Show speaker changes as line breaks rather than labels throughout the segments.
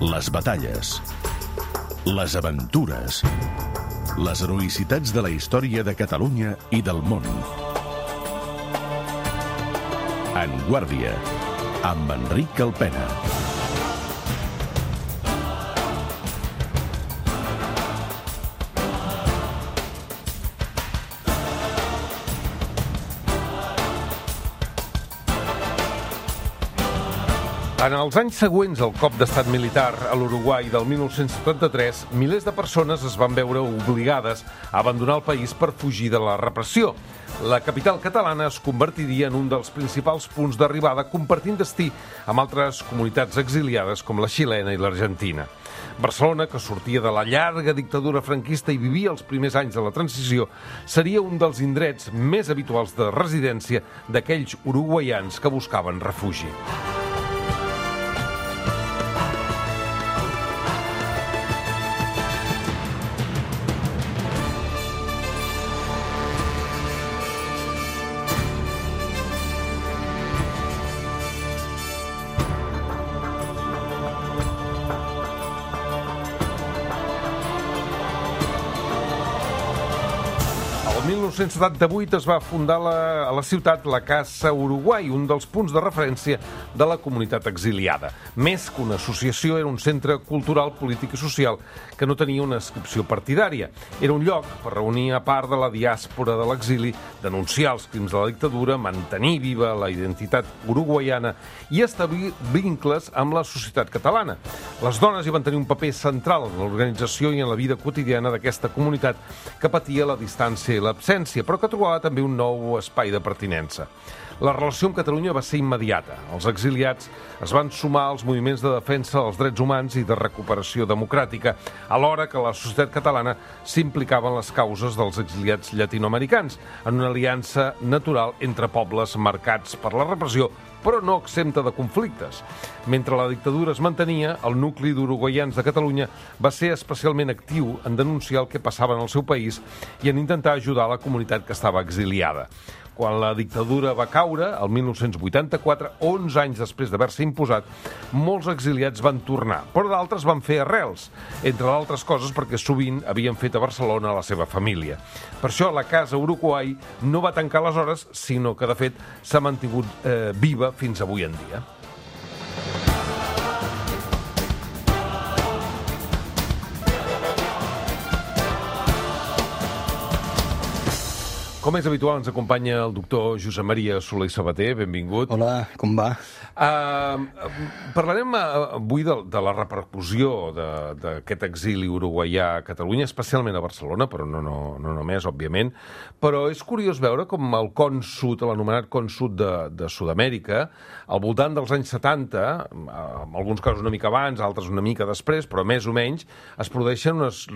Les batalles, les aventures, les heroïcitats de la història de Catalunya i del món. En Guàrdia, amb Enric Alpena.
En els anys següents al cop d'estat militar a l'Uruguai del 1973, milers de persones es van veure obligades a abandonar el país per fugir de la repressió. La capital catalana es convertiria en un dels principals punts d'arribada, compartint destí amb altres comunitats exiliades com la xilena i l'Argentina. Barcelona, que sortia de la llarga dictadura franquista i vivia els primers anys de la transició, seria un dels indrets més habituals de residència d'aquells uruguaians que buscaven refugi. El 1978 es va fundar a la ciutat la Casa Uruguai, un dels punts de referència de la comunitat exiliada. Més que una associació, era un centre cultural, polític i social que no tenia una inscripció partidària. Era un lloc per reunir a part de la diàspora de l'exili, denunciar els crims de la dictadura, mantenir viva la identitat uruguaiana i establir vincles amb la societat catalana. Les dones hi van tenir un paper central en l'organització i en la vida quotidiana d'aquesta comunitat que patia la distància i l'absència, però que trobava també un nou espai de pertinença. La relació amb Catalunya va ser immediata. Els exiliats es van sumar als moviments de defensa dels drets humans i de recuperació democràtica, alhora que la societat catalana s'implicava en les causes dels exiliats llatinoamericans, en una aliança natural entre pobles marcats per la repressió, però no exempta de conflictes. Mentre la dictadura es mantenia, el nucli d'uruguaians de Catalunya va ser especialment actiu en denunciar el que passava en el seu país i en intentar ajudar la comunitat que estava exiliada. Quan la dictadura va caure, el 1984, 11 anys després d'haver-se imposat, molts exiliats van tornar, però d'altres van fer arrels, entre d'altres coses perquè sovint havien fet a Barcelona la seva família. Per això la Casa Uruguai no va tancar aleshores, sinó que, de fet, s'ha mantingut viva fins avui en dia. Com és habitual, ens acompanya el doctor Josep Maria Soler i Sabater. Benvingut.
Hola, com va?
Parlarem avui de la repercussió d'aquest exili uruguaià a Catalunya, especialment a Barcelona, però no només, òbviament. Però és curiós veure com el con sud, l'anomenat con sud de Sud-amèrica, al voltant dels anys 70, en alguns casos una mica abans, altres una mica després, però més o menys, es produeixen unes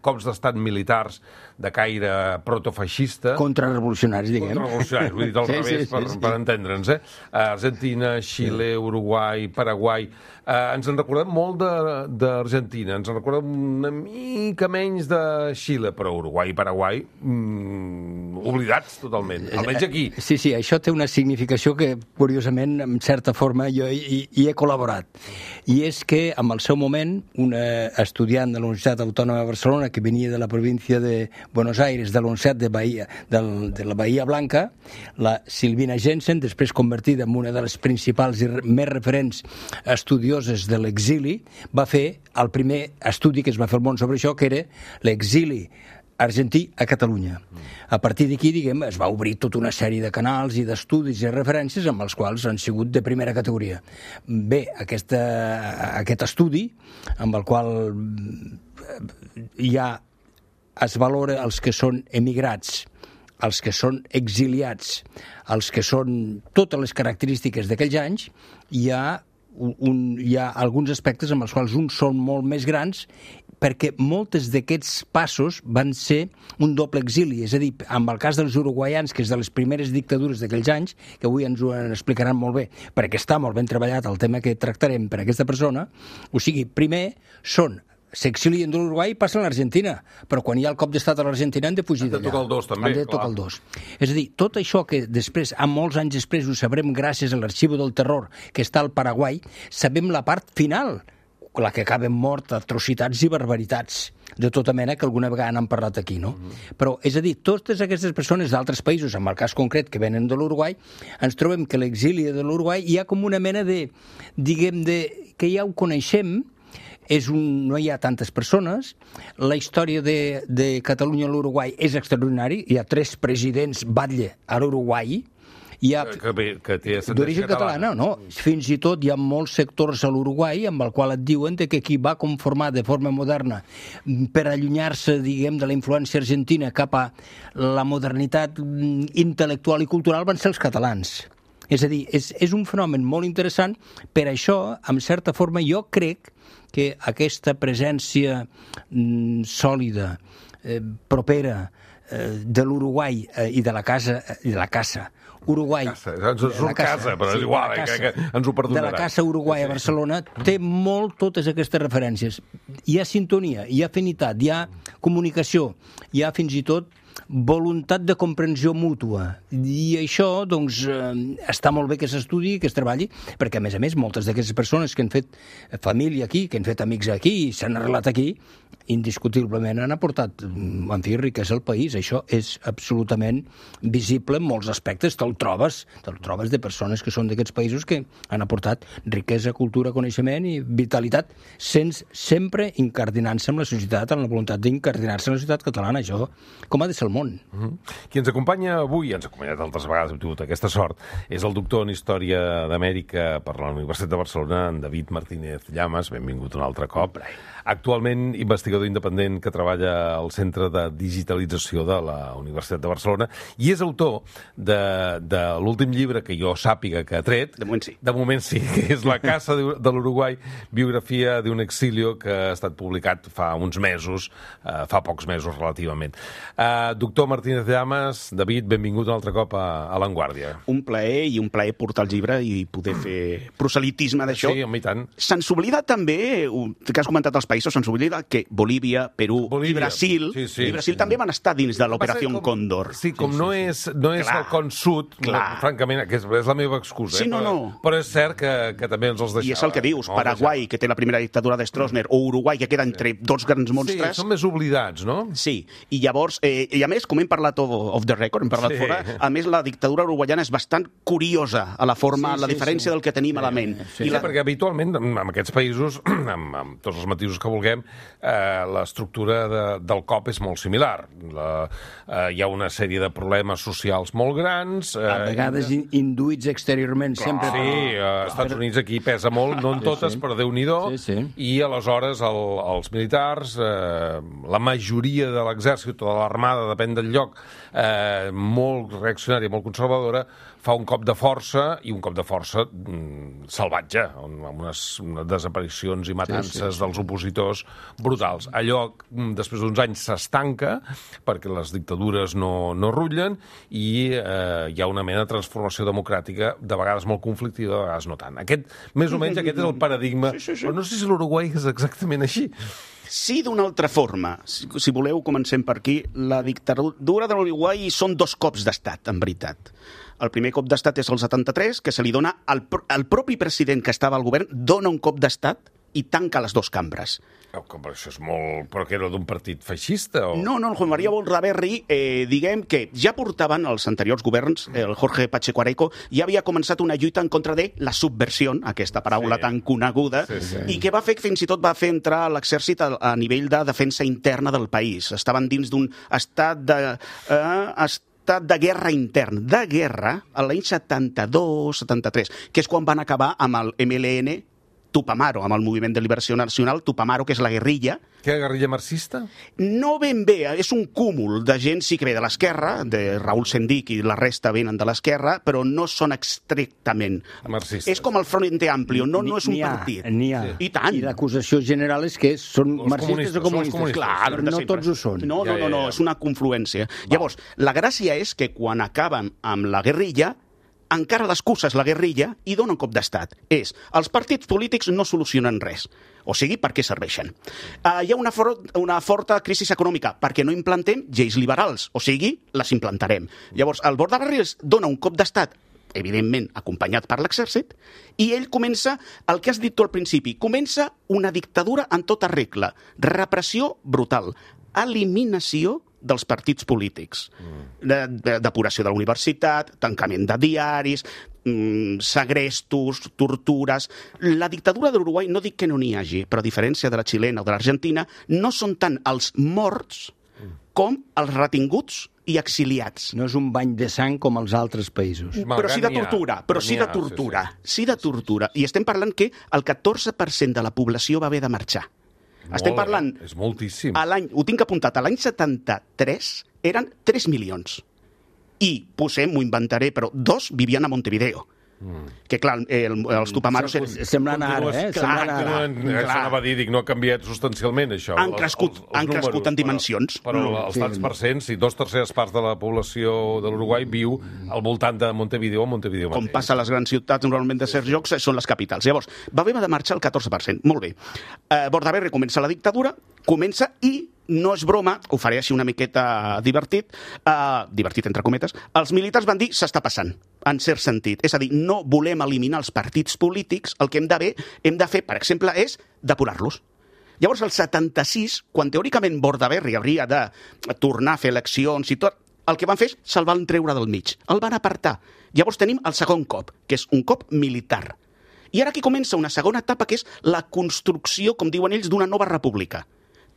cops d'estat militars de caire protofeixista.
Contrarrevolucionaris, diguem.
Contrarrevolucionaris, vull dir al revés, per entendre'ns, Argentina, Xile, Uruguai, Paraguai. Ens en recordem molt d'Argentina, ens en recordem una mica menys de Xile, però Uruguai i Paraguai oblidats totalment, almenys aquí.
Sí, això té una significació que, curiosament, en certa forma, jo hi he col·laborat. I és que, en el seu moment, una estudiant de la Universitat Autònoma de Barcelona, que venia de la província de Buenos Aires, de la Universitat de la Bahia Blanca, la Silvina Jensen, després convertida en una de les principals i més referents estudioses de l'exili, va fer el primer estudi que es va fer al món sobre això, que era l'exili argentí a Catalunya. A partir d'aquí, diguem, es va obrir tota una sèrie de canals i d'estudis i referències amb els quals han sigut de primera categoria. Bé, aquest estudi, amb el qual es valora els que són emigrats, els que són exiliats, els que són totes les característiques d'aquells anys, hi ha alguns aspectes amb els quals uns són molt més grans, perquè moltes d'aquests passos van ser un doble exili, és a dir, amb el cas dels uruguaians, que és de les primeres dictadures d'aquells anys, que avui ens ho explicaran molt bé, perquè està molt ben treballat el tema que tractarem per aquesta persona, o sigui, primer són s'exilien de l'Uruguai i passen a l'Argentina, però quan hi ha el cop d'estat a l'Argentina han de fugir d'allà.
Han de tocar el dos, també.
Han de tocar el dos. És a dir, tot això que després, a molts anys després, ho sabrem gràcies a l'Arxiu del Terror, que està al Paraguai, sabem la part final, la que acaben mort, atrocitats i barbaritats de tota mena que alguna vegada n'han parlat aquí, no? Però, és a dir, totes aquestes persones d'altres països, en el cas concret que venen de l'Uruguai, ens trobem que l'exili de l'Uruguai hi ha com una mena de, diguem, que ja ho coneixem, no hi ha tantes persones, la història de Catalunya a l'Uruguai és extraordinari, hi ha 3 presidents batlle a l'Uruguai,
que té
d'origen catalana, no? Fins i tot hi ha molts sectors a l'Uruguai amb el qual et diuen que qui va conformar de forma moderna per allunyar-se, diguem, de la influència argentina cap a la modernitat intel·lectual i cultural van ser els catalans. És a dir, és un fenomen molt interessant, per això, en certa forma, jo crec que aquesta presència sòlida, propera, de l'Uruguai i de la casa Uruguai.
Casa, però és igual, que ens ho perdonarà.
De la casa Uruguai a Barcelona té molt totes aquestes referències. Hi ha sintonia, hi ha afinitat, hi ha comunicació, hi ha fins i tot voluntat de comprensió mútua. I això, doncs, està molt bé que s'estudi, que es treballi, perquè, a més, moltes d'aquestes persones que han fet família aquí, que han fet amics aquí, s'han arrelat aquí, indiscutiblement han aportat, en fi, riquesa al país. Això és absolutament visible en molts aspectes. Te'l trobes de persones que són d'aquests països que han aportat riquesa, cultura, coneixement i vitalitat, sempre incardinant-se amb la societat, amb la voluntat d'incardinar-se en la societat catalana. Això, com ha de ser el món.
Qui ens acompanya avui, ens ha acompanyat altres vegades, hem tingut aquesta sort, és el doctor en Història d'Amèrica per la Universitat de Barcelona, en David Martínez Llamas. Benvingut un altre cop. Actualment investigador independent que treballa al Centre de Digitalització de la Universitat de Barcelona i és autor de l'últim llibre que jo sàpiga que ha tret. De moment sí, que és La Casa de l'Uruguai, biografia d'un exilio, que ha estat publicat fa uns mesos, fa pocs mesos relativament. Doctor Martínez Llamas, David, benvingut un altre cop a L'Enguàrdia.
Un plaer el llibre i poder fer proselitisme d'això.
Sí, home, i tant.
Se'ns oblida també, que has comentat els països, se'ns oblida que Bolívia, Perú i Brasil també van estar dins de l'Operació Còndor.
Sí, com no és el Con Sud, francament, que és la meva excusa.
Sí, no.
Però és cert que també ens els deixava.
I és el que dius, Paraguai, que té la primera dictadura de Stroessner, o Uruguai, que queda entre dos grans monstres.
Sí, són més oblidats, no?
Sí, i llavors, i a més, com hem parlat off the record, hem parlat fora, a més la dictadura uruguaiana és bastant curiosa a la forma, la diferència del que tenim a la ment.
Sí, perquè habitualment, en aquests països, amb tots els matisos que vulguem, l'estructura del cop és molt similar. Hi ha una sèrie de problemes socials molt grans.
A vegades induïts exteriorment, sempre.
Sí, als Estats Units aquí pesa molt, no en totes, però Déu-n'hi-do. I aleshores els militars, la majoria de l'exèrcit o de l'armada, depèn del lloc, molt reaccionària, molt conservadora, fa un cop de força, i un cop de força salvatge, amb unes desaparicions i matances dels opositors brutals. Allò, després d'uns anys, s'estanca, perquè les dictadures no rutllen, i hi ha una mena de transformació democràtica, de vegades molt conflictiva, de vegades no tant. Més o menys aquest és el paradigma. Però no sé si l'Uruguai és exactament així.
Sí, d'una altra forma. Si voleu, comencem per aquí. La dictadura de l'Uruguai són 2 cops d'estat, en veritat. El primer cop d'estat és el 73, que se li dona al propi president que estava al govern, dona un cop d'estat i tanca les 2 cambres.
Això és molt... Però que era d'un partit feixista?
No, el Juan María Bolraberry, diguem que ja portaven els anteriors governs, el Jorge Pacheco Areco, ja havia començat una lluita en contra de la subversió, aquesta paraula tan coneguda, i que va fer que fins i tot va fer entrar l'exèrcit a nivell de defensa interna del país. Estaven dins d'un estat de guerra intern, de guerra, a l'any 72-73, que és quan van acabar amb el MLN Tupamaro, amb el Moviment de Liberació Nacional, Tupamaro, que és la guerrilla.
Què, guerrilla marxista?
No ben bé, és un cúmul de gent sí que ve de l'esquerra, de Raúl Sendic i la resta venen de l'esquerra, però no són estrictament
marxistes.
És com el Frente Amplio, no és un partit.
N'hi ha.
I tant.
I l'acusació general és que són marxistes o comunistes.
Clar,
però no tots ho són.
No, és una confluència. Llavors, la gràcia és que quan acaben amb la guerrilla, encara l'excusa és la guerrilla i dona un cop d'estat. Els partits polítics no solucionen res. O sigui, per què serveixen? Hi ha una forta crisi econòmica perquè no implantem lleis liberals, o sigui, les implantarem. Llavors, el Bordaberry dona un cop d'estat, evidentment acompanyat per l'exèrcit, i ell comença el que has dit tu al principi, comença una dictadura en tota regla, repressió brutal, eliminació dels partits polítics, depuració de la universitat, tancament de diaris, segrestos, tortures. La dictadura de l'Uruguai no dic que no n'hi hagi, però a diferència de la xilena o de l'Argentina, no són tant els morts com els retinguts i exiliats.
No és un bany de sang com els altres països.
Però sí de tortura, sí de tortura. I estem parlant que el 14% de la població va haver de marxar. Estem parlant...
És moltíssim.
Ho tinc apuntat, a l'any 73 eren 3 milions. I, m'ho inventaré, però 2 vivien a Montevideo. Que, clar, els Tupamaros...
Semblant ara,
Clar. Anava a dir, no ha canviat substancialment, això.
Han crescut en dimensions.
Però els tants percents, si 2/3 parts de la població de l'Uruguai viu al voltant de Montevideo mateix.
Com passa a les grans ciutats, normalment de certs llocs, són les capitals. Llavors, va haver de marxar el 14%. Molt bé. Bordaberry comença la dictadura, i no és broma, ho faré així una miqueta divertit entre cometes, els militars van dir s'està passant, en cert sentit. És a dir, no volem eliminar els partits polítics, el que hem de fer, per exemple, és depurar-los. Llavors, el 76, quan teòricament Bordaberry hauria de tornar a fer eleccions i tot, el que van fer és se'l treure del mig, el van apartar. Llavors tenim el segon cop, que és un cop militar. I ara aquí comença una segona etapa, que és la construcció, com diuen ells, d'una nova república.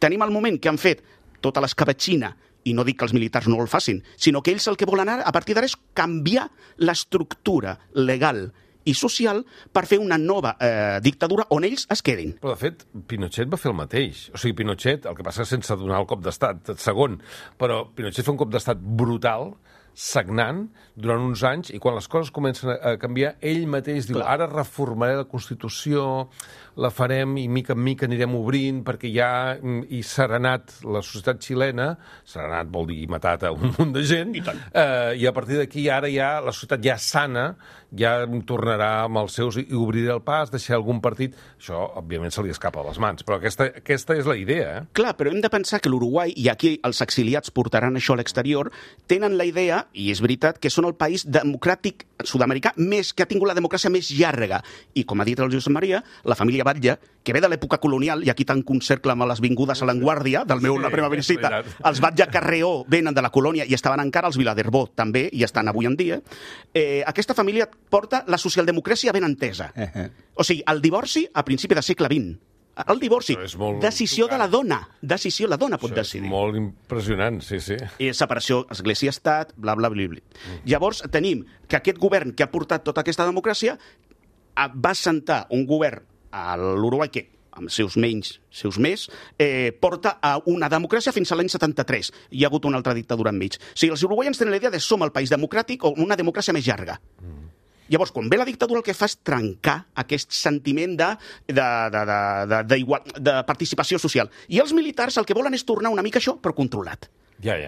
Tenim el moment que han fet tota l'escabatxina, i no dic que els militars no el facin, sinó que ells el que volen ara, a partir d'ara, és canviar l'estructura legal i social per fer una nova dictadura on ells es quedin.
Però, de fet, Pinochet va fer el mateix. O sigui, Pinochet, el que passa sense donar el cop d'estat segon, però Pinochet fa un cop d'estat brutal, sagnant, durant uns anys, i quan les coses comencen a canviar, ell mateix diu, ara reformaré la Constitució, la farem i mica en mica anirem obrint, perquè ja hi serenat la societat xilena, serenat vol dir matat a un munt de gent, i a partir d'aquí ara ja la societat ja sana, ja tornarà amb els seus i obrirà el pas, deixarà algun partit. Això, òbviament, se li escapa a les mans, però aquesta és la idea.
Clar, però hem de pensar que l'Uruguai, i aquí els exiliats portaran això a l'exterior, tenen la idea, i és veritat, que són el país democràtic sud-americà que ha tingut la democràcia més llarga. I, com ha dit el Josep Maria, la família Batlle, que ve de l'època colonial, i aquí tanco un cercle amb les vingudes a l'Enguàrdia, la meva visita, els Batlle Carreó venen de la colònia i estaven encara, els Viladerbó també, i estan avui en dia. Aquesta família porta la socialdemocràcia ben entesa. O sigui, el divorci a principi del segle XX. El divorci, decisió de la dona. Decisió, la dona pot decidir.
És molt impressionant, sí.
Separació església-estat, bla, bla, bla. Llavors tenim que aquest govern que ha portat tota aquesta democràcia va assentar un govern a l'Uruguai que, amb seus menys, seus més, porta a una democràcia fins a l'any 73. Hi ha hagut una altra dictadura enmig. O sigui, els uruguaians tenen la idea de som el país democràtic o una democràcia més llarga. Llavors, quan ve la dictadura, el que fa és trencar aquest sentiment de participació social. I els militars el que volen és tornar una mica això, però controlat.
Ja.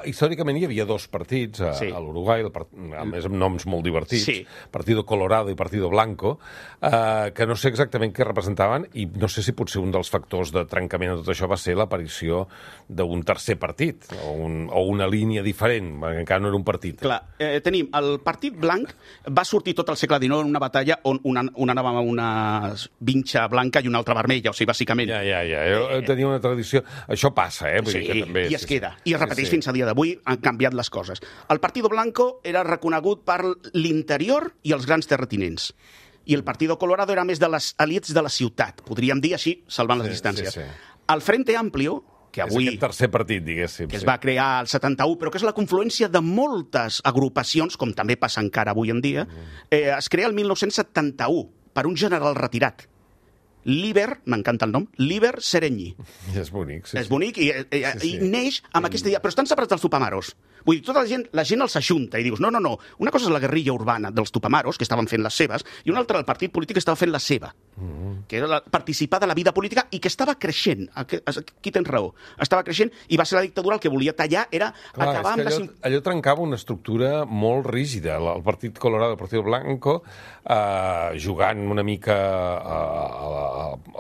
Històricament hi havia dos partits a l'Uruguai, a més amb noms molt divertits, Partido Colorado i Partido Blanco, que no sé exactament què representaven, i no sé si potser un dels factors de trencament de tot això va ser l'aparició d'un tercer partit, o una línia diferent, perquè encara no era un partit.
Clar, tenim el Partit Blanc, va sortir tot el segle XIX en una batalla on una anava amb una vinxa blanca i una altra vermella, o sigui, bàsicament.
Tenia una tradició. Això passa, vull dir que també...
I es queda. I es repeteix fins a dia d'avui, han canviat les coses. El Partido Blanco era reconegut per l'interior i els grans terratinents. I el Partido Colorado era més de les elits de la ciutat, podríem dir així, salvant les distàncies. El Frente Amplio, que avui...
És aquest tercer partit, diguéssim.
Que es va crear al 71, però que és la confluència de moltes agrupacions, com també passa encara avui en dia, es crea el 1971 per un general retirat. Líber, m'encanta el nom, Líber Sereny.
És bonic,
És bonic i neix amb aquesta idea, però estan separats dels Tupamaros. Vull dir, tota la gent els ajunta i dius, no, una cosa és la guerrilla urbana dels Tupamaros, que estaven fent les seves, i una altra el partit polític que estava fent la seva, que era participar de la vida política i que estava creixent. Aquí tens raó. Estava creixent i va ser la dictadura el que volia tallar, era acabar amb
allò trencava una estructura molt rígida. El Partit Colorado, el Partido Blanco, jugant una mica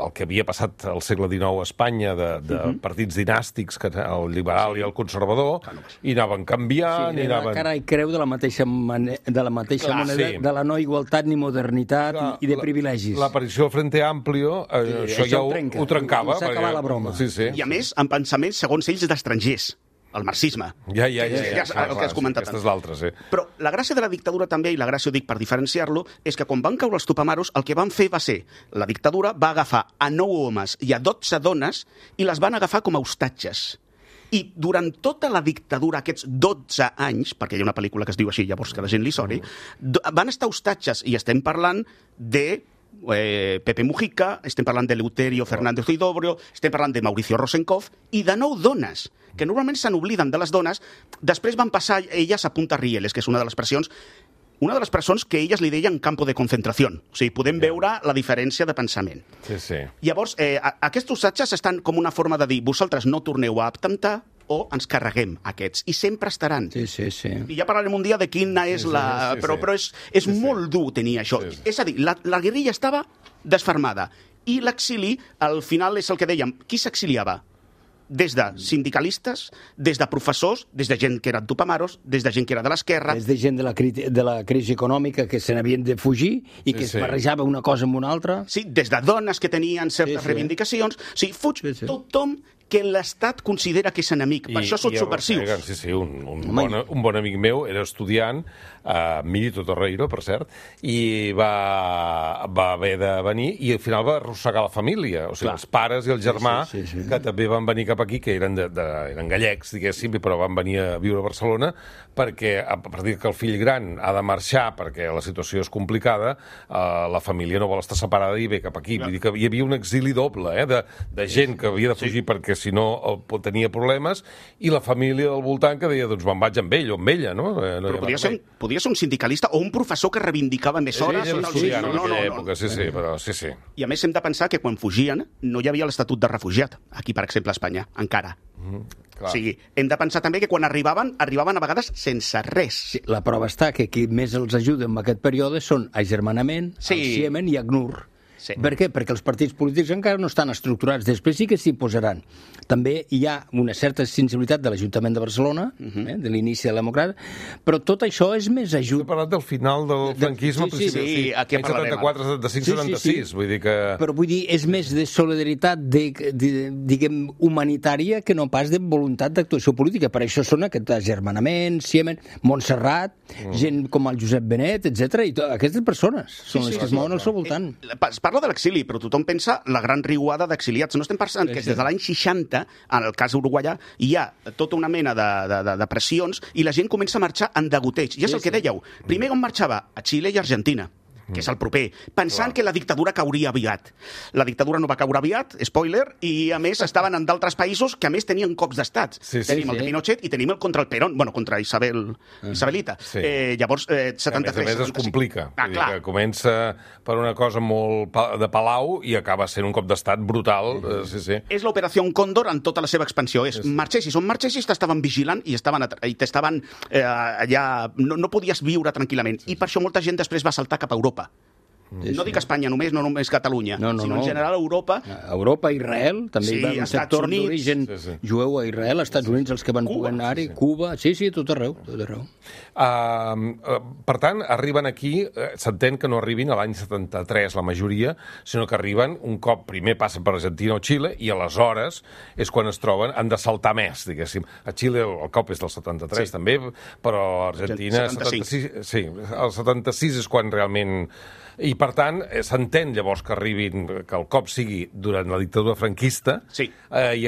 el que havia passat al segle XIX a Espanya de partits dinàstics, el liberal i el conservador, i anaven canviant...
Sí, era cara i creu de la mateixa moneda, de la no igualtat ni modernitat i de privilegis.
L'aparició del Frente Amplio, això ja ho trencava.
S'acaba la broma.
I a més, amb pensaments, segons ells, d'estrangers. El marxisme.
Ja,
el que has comentat.
Aquesta és l'altra, sí.
Però la gràcia de la dictadura també, i la gràcia ho dic per diferenciar-lo, és que quan van caure els Tupamaros, el que van fer va ser, la dictadura va agafar a 9 homes i a 12 dones i les van agafar com a hostatges. I durant tota la dictadura, aquests 12 anys, perquè hi ha una pel·lícula que es diu així, llavors que la gent li soni, van estar hostatges, i estem parlant de Pepe Mujica, estem parlant de Eleuterio Fernández Huidobro, estem parlant de Mauricio Rosenkopf, i de 9 dones, que normalment se n'obliden de les dones, després van passar elles a Punta Rieles, que és una de les presons que elles li deien campo de concentració. O sigui, podem veure la diferència de pensament.
Sí.
Llavors, aquests hostatges estan com una forma de dir, vosaltres no torneu a atemptar, o ens carreguem aquests, i sempre estaran.
Sí.
I ja parlarem un dia de quina és la... Però és molt dur tenir això. És a dir, la guerrilla estava desfermada, i l'exili, al final és el que dèiem, qui s'exiliava? Des de sindicalistes, des de professors, des de gent que eren tupamaros, des de gent que era de l'esquerra...
Des de gent de la crisi econòmica que se n'havien de fugir i que es barrejava una cosa amb una altra.
Sí, des de dones que tenien certes reivindicacions. O sigui, fuig tothom que l'Estat considera que és enemic. Per això són subversius.
Sí, un bon amic meu era estudiant, Milito Torreiro, per cert, i va haver de venir i al final va arrossegar la família, o sigui, els pares i el germà, que també van venir cap aquí, que eren gallecs, diguéssim, però van venir a viure a Barcelona, perquè a partir que el fill gran ha de marxar perquè la situació és complicada, la família no vol estar separada i ve cap aquí. Vull dir que hi havia un exili doble, de gent que havia de fugir perquè si no tenia problemes, i la família del voltant que deia, doncs me'n vaig amb ell o amb ella, no?
Però podia ser un sindicalista o un professor que reivindicava més hores.
Ell era estudiant en aquella època, sí.
I a més hem de pensar que quan fugien no hi havia l'Estatut de Refugiat, aquí, per exemple, a Espanya, encara. O sigui, hem de pensar també que quan arribaven a vegades sense res.
Sí, la prova està que qui més els ajuda en aquest període són Agermanament, el Ciemen i ACNUR.
Sí.
Per què? Perquè els partits polítics encara no estan estructurats. Després sí que s'hi posaran. També hi ha una certa sensibilitat de l'Ajuntament de Barcelona, de l'inici de la democràcia, però tot això és més ajut.
He parlat del final del franquisme,
sí, aquí en parlarem.
74, 75, 76, vull dir que...
Però vull dir, és més de solidaritat, diguem, humanitària, que no pas de voluntat d'actuació política. Per això són aquest Agermanament, Ciemen, Montserrat, gent com el Josep Benet, etc. I aquestes persones són les que es mouen al seu voltant.
Es parla de l'exili, però tothom pensa la gran riuada d'exiliats. No estem pensant que des de l'any 60, en el cas uruguaià, hi ha tota una mena de pressions i la gent comença a marxar en degoteig. I és el que dèieu. Primer on marxava? A Xile i Argentina, que és el proper, pensant que la dictadura cauria aviat. La dictadura no va caure aviat, spoiler, i a més estaven en d'altres països que a més tenien cops d'estat. Tenim el de Pinochet i tenim el contra el Perón, contra Isabelita. Llavors, 73...
A més es complica. Que comença per una cosa molt de palau i acaba sent un cop d'estat brutal.
És l'operació Còndor en tota la seva expansió. Marxessis on marxessis, t'estaven vigilant i t'estaven allà... No podies viure tranquil·lament. I per això molta gent després va saltar cap a Europa. No dic Espanya només, no només Catalunya, sinó en general Europa.
Europa, Israel, també hi va un sector d'origen jueu a Israel, als Estats Units, els que van poder anar-hi, Cuba, tot arreu.
Per tant, arriben aquí, s'entén que no arribin a l'any 73 la majoria, sinó que arriben un cop primer passen per Argentina o Xile i aleshores és quan es troben, han de saltar més, diguéssim. A Xile el cop és del 73 també, però a Argentina...
76.
Sí, el 76 és quan realment... I, per tant, s'entén llavors que arribin, que el cop sigui durant la dictadura franquista i,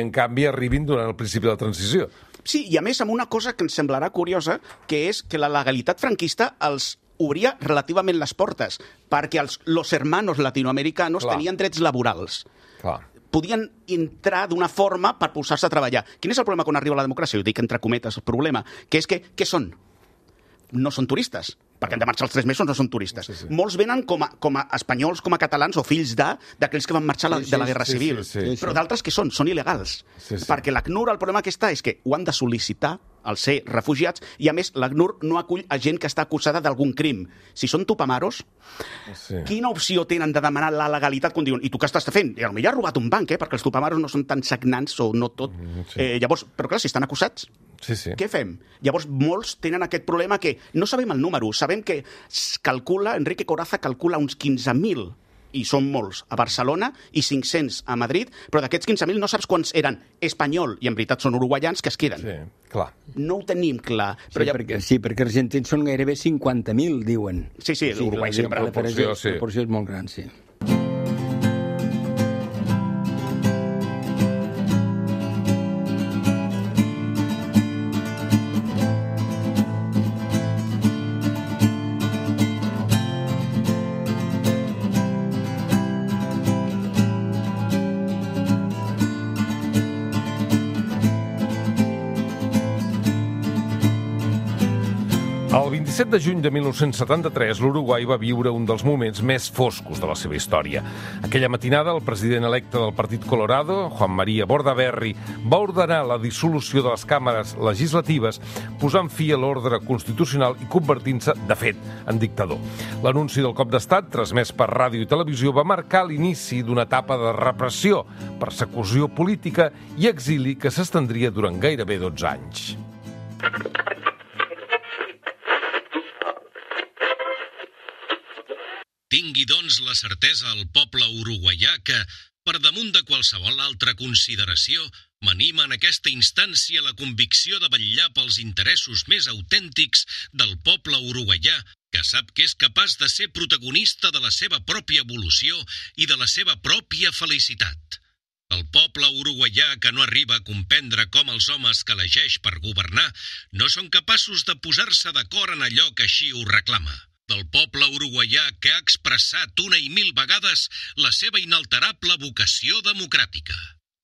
en canvi, arribin durant el principi de la transició.
Sí, i a més amb una cosa que ens semblarà curiosa, que és que la legalitat franquista els obria relativament les portes, perquè los hermanos latinoamericanos tenien drets laborals. podien entrar d'una forma per posar-se a treballar. Quin és el problema quan arriba la democràcia? Ho dic entre cometes, el problema, que és que què són? No són turistes, perquè han de marxar els 3 mesos, no són turistes. Sí. Molts venen com a espanyols, com a catalans o fills d'aquells que van marxar de la Guerra Civil. Sí. Però d'altres que són il·legals. Sí. Perquè l'ACNUR, el problema que està és que ho han de sol·licitar al ser refugiats, i a més l'ACNUR no acull a gent que està acusada d'algun crim. Si són tupamaros, quina opció tenen de demanar la legalitat quan diuen, i tu què estàs fent? I potser has robat un banc, perquè els tupamaros no són tan sagnants o no tot. Llavors, però clar, si estan acusats, què fem? Llavors, molts tenen aquest problema que no sabem el número, sabem que Enrique Coraza calcula uns 15.000, i són molts, a Barcelona i 500 a Madrid, però d'aquests 15.000 no saps quants eren espanyol i en veritat són uruguaians que es queden.
Sí, clar.
No ho tenim clar.
Però perquè argentins són gairebé 50.000, diuen.
Sí, l'Uruguai sempre.
La proporció és molt gran, sí.
El 27 de juny de 1973, l'Uruguai va viure un dels moments més foscos de la seva història. Aquella matinada, el president electe del Partit Colorado, Juan María Bordaberry, va ordenar la dissolució de les càmeres legislatives, posant fi a l'ordre constitucional i convertint-se, de fet, en dictador. L'anunci del cop d'estat, transmès per ràdio i televisió, va marcar l'inici d'una etapa de repressió, persecució política i exili que s'estendria durant gairebé 12 anys.
Tingui, doncs, la certesa al poble uruguaià que, per damunt de qualsevol altra consideració, m'anima en aquesta instància la convicció de vetllar pels interessos més autèntics del poble uruguaià, que sap que és capaç de ser protagonista de la seva pròpia evolució i de la seva pròpia felicitat. El poble uruguaià que no arriba a comprendre com els homes que elegeix per governar no són capaços de posar-se d'acord en allò que així ho reclama. Del poble uruguaià que ha expressat una i mil vegades la seva inalterable vocació democràtica.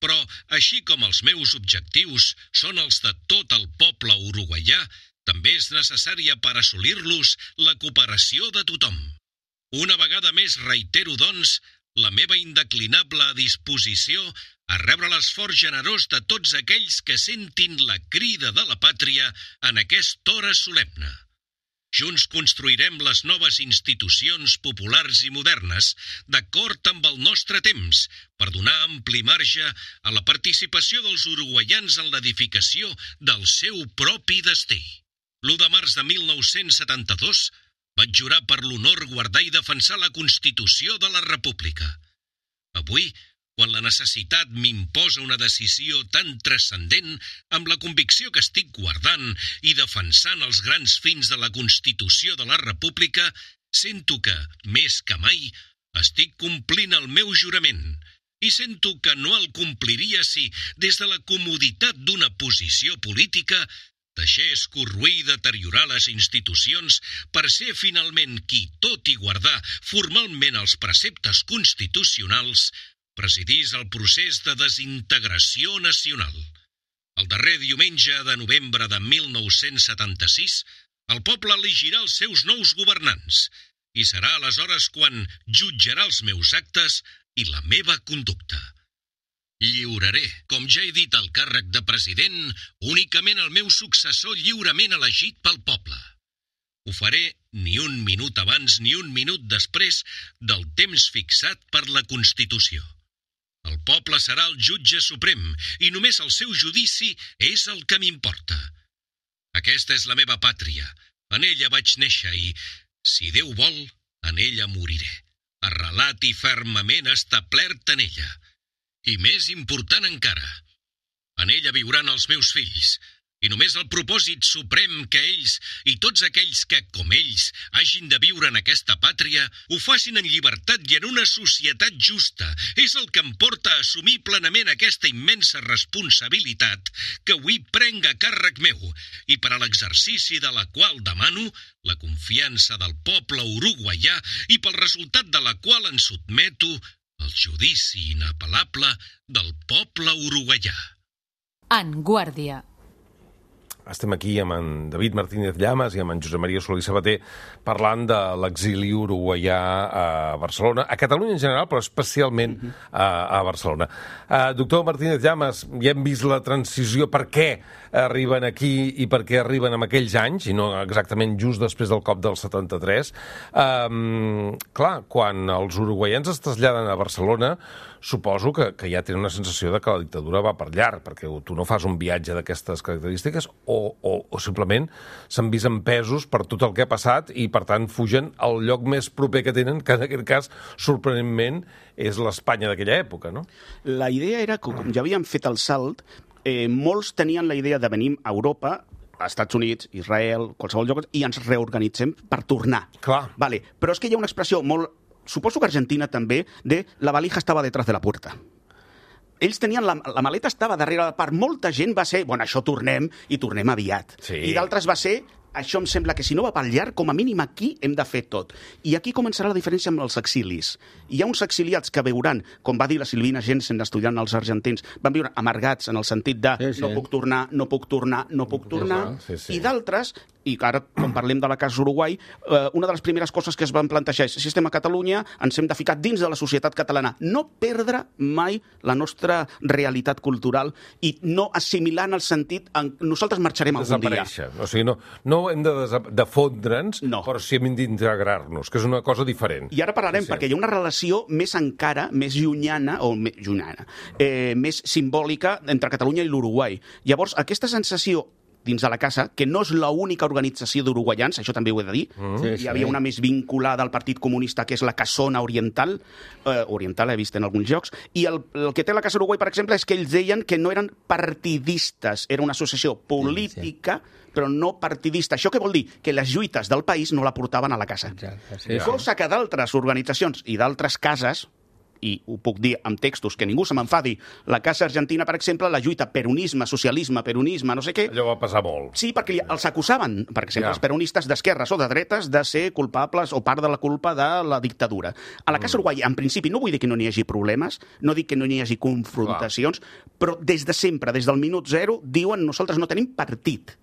Però, així com els meus objectius són els de tot el poble uruguaià, també és necessària per assolir-los la cooperació de tothom. Una vegada més reitero, doncs, la meva indeclinable disposició a rebre l'esforç generós de tots aquells que sentin la crida de la pàtria en aquesta hora solemne. Junts construirem les noves institucions populars i modernes d'acord amb el nostre temps per donar ampli marge a la participació dels uruguaians en l'edificació del seu propi destí. L'1 de març de 1972 vaig jurar per l'honor guardar i defensar la Constitució de la República. Avui, quan la necessitat m'imposa una decisió tan transcendent, amb la convicció que estic guardant i defensant els grans fins de la Constitució de la República, sento que, més que mai, estic complint el meu jurament i sento que no el compliria si, des de la comoditat d'una posició política, deixés corroir i deteriorar les institucions per ser finalment qui, tot i guardar formalment els preceptes constitucionals, presidís el procés de desintegració nacional. El darrer diumenge de novembre de 1976, el poble elegirà els seus nous governants i serà aleshores quan jutjarà els meus actes i la meva conducta. Lliuraré, com ja he dit, el càrrec de president únicament al meu successor lliurement elegit pel poble. Ho faré ni un minut abans ni un minut després del temps fixat per la Constitució. El poble serà el jutge suprem i només el seu judici és el que m'importa. Aquesta és la meva pàtria, en ella vaig néixer i, si Déu vol, en ella moriré, arrelat i fermament establert en ella. I més important encara, en ella viuran els meus fills, i només el propòsit suprem que ells i tots aquells que, com ells, hagin de viure en aquesta pàtria, ho facin en llibertat i en una societat justa. És el que em porta a assumir plenament aquesta immensa responsabilitat que avui prenc a càrrec meu i per a l'exercici de la qual demano la confiança del poble uruguaià i pel resultat de la qual em sotmeto el judici inapel·lable del poble uruguaià.
En Guàrdia.
Estem aquí amb en David Martínez Llamas i amb en Josep Maria Solí Sabater parlant de l'exili uruguaià a Barcelona, a Catalunya en general, però especialment a Barcelona. Doctor Martínez Llamas, ja hem vist la transició, per què arriben aquí i per què arriben en aquells anys, i no exactament just després del cop del 73. Clar, quan els uruguaians es traslladen a Barcelona, suposo que ja tenen una sensació de que la dictadura va per llarg, perquè tu no fas un viatge d'aquestes característiques o simplement s'han vist empesos per tot el que ha passat i, per tant, fugen al lloc més proper que tenen, que en aquest cas, sorprenentment, és l'Espanya d'aquella època, no?
La idea era que, com ja havíem fet el salt, molts tenien la idea de venir a Europa, a Estats Units, Israel, qualsevol lloc, i ens reorganitzem per tornar.
Clar.
Vale. Però és que hi ha una expressió molt... Suposo que Argentina també, de la valija estava detrás de la puerta. Ells tenien... La maleta estava darrere. Per molta gent va ser, bueno, això tornem, i tornem aviat.
Sí.
I d'altres va ser, això em sembla que si no va pel llarg, com a mínim aquí hem de fer tot. I aquí començarà la diferència amb els exilis. Hi ha uns exiliats que veuran, com va dir la Silvina Jensen estudiant els argentins, van viure amargats en el sentit de no puc tornar, no puc tornar, no puc tornar, i d'altres... I ara, quan parlem de la Casa Uruguai, una de les primeres coses que es van plantejar és si estem a Catalunya, ens hem de ficar dins de la societat catalana. No perdre mai la nostra realitat cultural i no assimilar en el sentit nosaltres marxarem algun dia.
Desaparèixer. O sigui, no hem de fondre'ns, però sí hem d'integrar-nos, que és una cosa diferent.
I ara parlarem, perquè hi ha una relació més encara, més llunyana, més simbòlica entre Catalunya i l'Uruguai. Llavors, aquesta sensació dins de la casa, que no és l'única organització d'uruguaians, això també ho he de dir. Hi havia una més vinculada al Partit Comunista, que és la Casona Oriental, oriental he vist en alguns llocs, i el que té la Casa Uruguai, per exemple, és que ells deien que no eren partidistes, era una associació política, però no partidista. Això què vol dir? Que les lluites del país no la portaven a la casa. Cosa que d'altres organitzacions i d'altres cases, i ho puc dir amb textos que ningú se m'enfadi, la Casa Argentina, per exemple, la lluita peronisme, socialisme, peronisme, no sé què...
Allò va passar molt.
Sí, perquè els acusaven, per exemple, els peronistes d'esquerres o de dretes, de ser culpables o part de la culpa de la dictadura. A la Casa Uruguai, en principi, no vull dir que no n'hi hagi problemes, no dic que no n'hi hagi confrontacions, però des de sempre, des del minut zero, diuen nosaltres no tenim partit.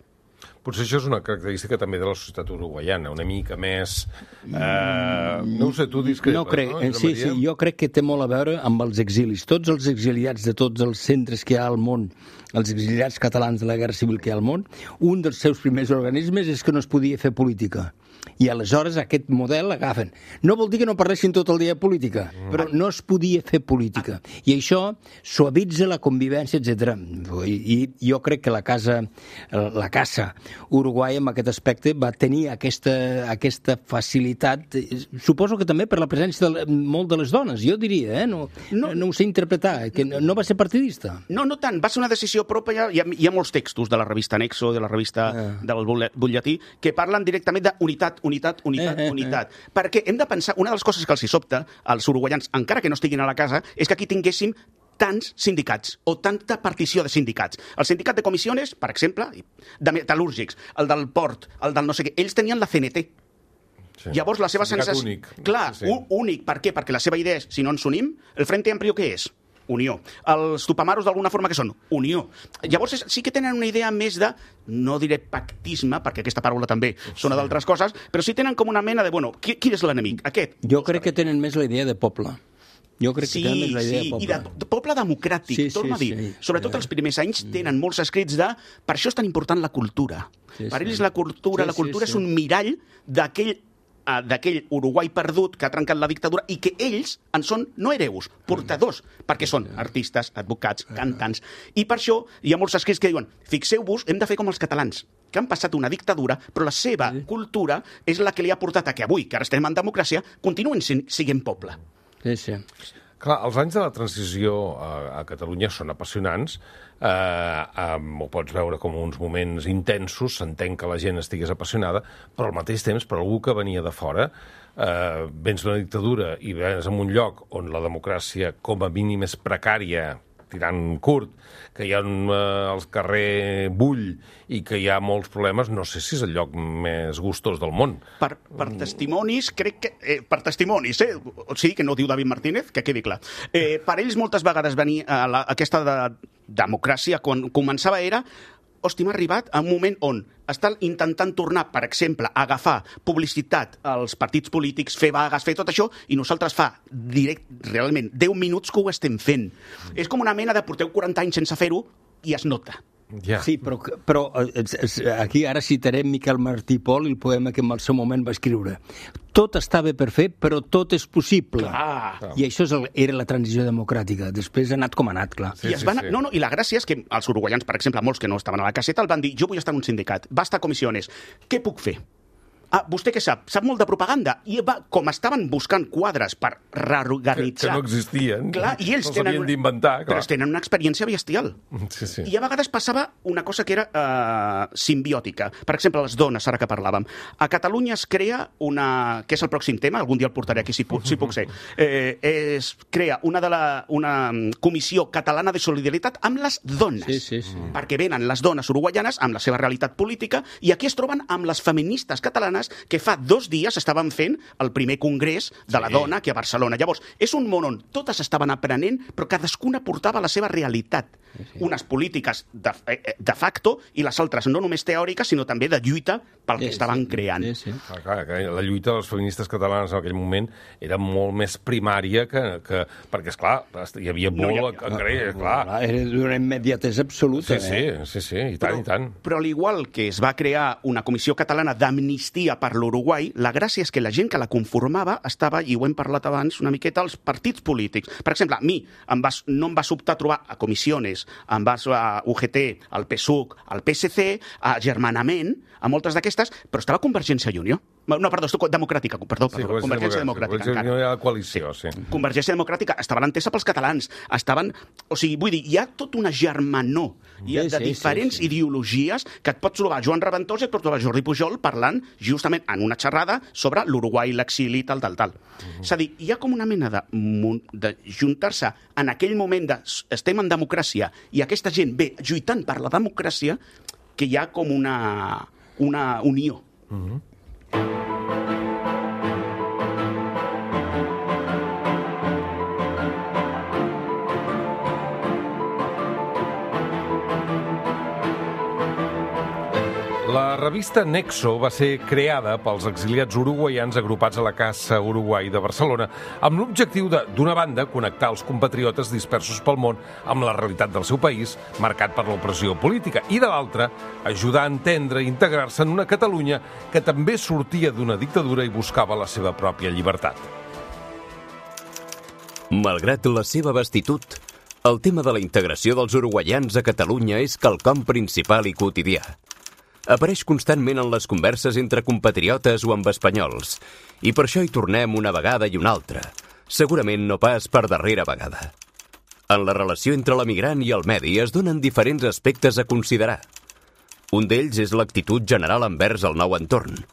Potser això és una característica també de la societat uruguaiana, una mica més... no ho sé, tu discrepes,
no? Crec, no? Sí, jo crec que té molt a veure amb els exilis. Tots els exiliats de tots els centres que hi ha al món, els exiliats catalans de la Guerra Civil que hi ha al món, un dels seus primers organismes és que no es podia fer política. I aleshores aquest model l'agafen. No vol dir que no parlessin tot el dia de política, però no es podia fer política. I això suavitza la convivència, etc. I jo crec que la Casa Uruguai, en aquest aspecte, va tenir aquesta facilitat, suposo que també per la presència de molt de les dones, jo diria, no ho sé interpretar, que no va ser partidista.
No tant, va ser una decisió pròpia. Hi ha molts textos de la revista Nexo, de la revista del butlletí, que parlen directament d'unitat, unitat. Perquè hem de pensar, una de les coses que els hi sobta als uruguaians, encara que no estiguin a la casa, és que aquí tinguéssim tants sindicats o tanta partició de sindicats. El sindicat de comissiones, per exemple, de metal·lúrgics, el del port, el del no sé què, ells tenien la CNT. Sí. Llavors la seva sensació...
Únic.
Clar, únic. Per què? Perquè la seva idea és, si no ens unim, el Frente Amplio què és? Unió. Els tupamaros d'alguna forma que són? Unió. Llavors sí que tenen una idea més de, no diré pactisme, perquè aquesta paraula també sona d'altres coses, però sí tenen com una mena de, bueno, qui és l'enemic? Aquest.
Jo crec que tenen més la idea de poble. Jo crec que tenen més la idea de poble.
I de poble democràtic, torno a dir. Sobretot els primers anys tenen molts escrits de, per això és tan important la cultura. Per ells la cultura és un mirall d'aquell Uruguai perdut que ha trencat la dictadura i que ells en són no hereus, portadors, perquè són artistes, advocats, cantants. I per això hi ha molts escrits que diuen, fixeu-vos, hem de fer com els catalans, que han passat una dictadura, però la seva cultura és la que li ha portat a que avui, que ara estem en democràcia, continuen sent poble.
Sí.
Clar, els anys de la transició a Catalunya són apassionants, ho pots veure com uns moments intensos, s'entén que la gent estigués apassionada, però al mateix temps, per algú que venia de fora, vens d'una dictadura i vens en un lloc on la democràcia com a mínim és precària, tirant curt, que hi ha el carrer bull i que hi ha molts problemes, no sé si és el lloc més gustós del món.
Per testimonis, crec que... per testimonis, o sigui, que no diu David Martínez, que quedi clar. Per ells moltes vegades venir a aquesta democràcia, quan començava era... Hosti, m'ha arribat a un moment on estan intentant tornar, per exemple, a agafar publicitat als partits polítics, fer vagues, fer tot això, i nosaltres fa realment 10 minuts que ho estem fent. És com una mena de porteu 40 anys sense fer-ho i es nota.
Ja.
Sí, però aquí ara citarem Miquel Martí i Pol i el poema que en el seu moment va escriure. Tot estava per fer, però tot és possible.
Clar.
I això era la transició democràtica. Després ha anat com ha anat, clar.
Sí,
I i la gràcia és que els uruguaians, per exemple, molts que no estaven a la caseta, el van dir, jo vull estar en un sindicat, basta comissiones, què puc fer? Ah, vostè què sap? Sap molt de propaganda. I com estaven buscant quadres per reorganitzar...
Que no existien.
Clar, i ells
havien d'inventar, clar.
Però tenen una experiència bestial.
Sí.
I a vegades passava una cosa que era simbiòtica. Per exemple, les dones, ara que parlàvem. A Catalunya es crea una... que és el pròxim tema, algun dia el portaré aquí si puc ser. Es crea una comissió catalana de solidaritat amb les dones.
Sí.
Perquè venen les dones uruguaianes amb la seva realitat política i aquí es troben amb les feministes catalanes que fa 2 dies estaven fent el primer congrés de la dona aquí a Barcelona. Llavors, és un món on totes estaven aprenent, però cadascuna portava la seva realitat. Unes polítiques de facto i les altres no només teòriques, sinó també de lluita pel que estaven creant.
Sí.
Clar, la lluita de les feministes catalanes en aquell moment era molt més primària que perquè, esclar, hi havia molt a creure, clar.
Era d'una immediatesa absoluta.
Sí, i tant.
Però al igual que es va crear una comissió catalana d'amnistia per l'Uruguai, la gràcia és que la gent que la conformava estava, i ho hem parlat abans una miqueta, als partits polítics. Per exemple, a mi no em va sobtar trobar a Comissiones, em vas a UGT, al PSUC, al PSC, a Germanament, a moltes d'aquestes, però estava Convergència i Unió. No, perdó, Democràtica, Convergència Democràtica.
Convergència hi ha la coalició, sí.
Convergència Democràtica estava l'entesa pels catalans. O sigui, vull dir, hi ha tota una germanor de diferents ideologies que et pots trobar Joan Reventós i et pots trobar Jordi Pujol parlant justament en una xerrada sobre l'Uruguai, l'exili, tal. És a dir, hi ha com una mena de juntar-se en aquell moment de estem en democràcia i aquesta gent ve lluitant per la democràcia, que hi ha com una unió.
La revista Nexo va ser creada pels exiliats uruguaians agrupats a la Casa Uruguai de Barcelona amb l'objectiu de, d'una banda, connectar els compatriotes dispersos pel món amb la realitat del seu país, marcat per l'opressió política, i de l'altra, ajudar a entendre i integrar-se en una Catalunya que també sortia d'una dictadura i buscava la seva pròpia llibertat.
Malgrat la seva vastitud, el tema de la integració dels uruguaians a Catalunya és quelcom principal i quotidià. Apareix constantment en les converses entre compatriotes o amb espanyols, i per això hi tornem una vegada i una altra, segurament no pas per darrera vegada. En la relació entre l'emigrant i el medi es donen diferents aspectes a considerar. Un d'ells és l'actitud general envers el nou entorn.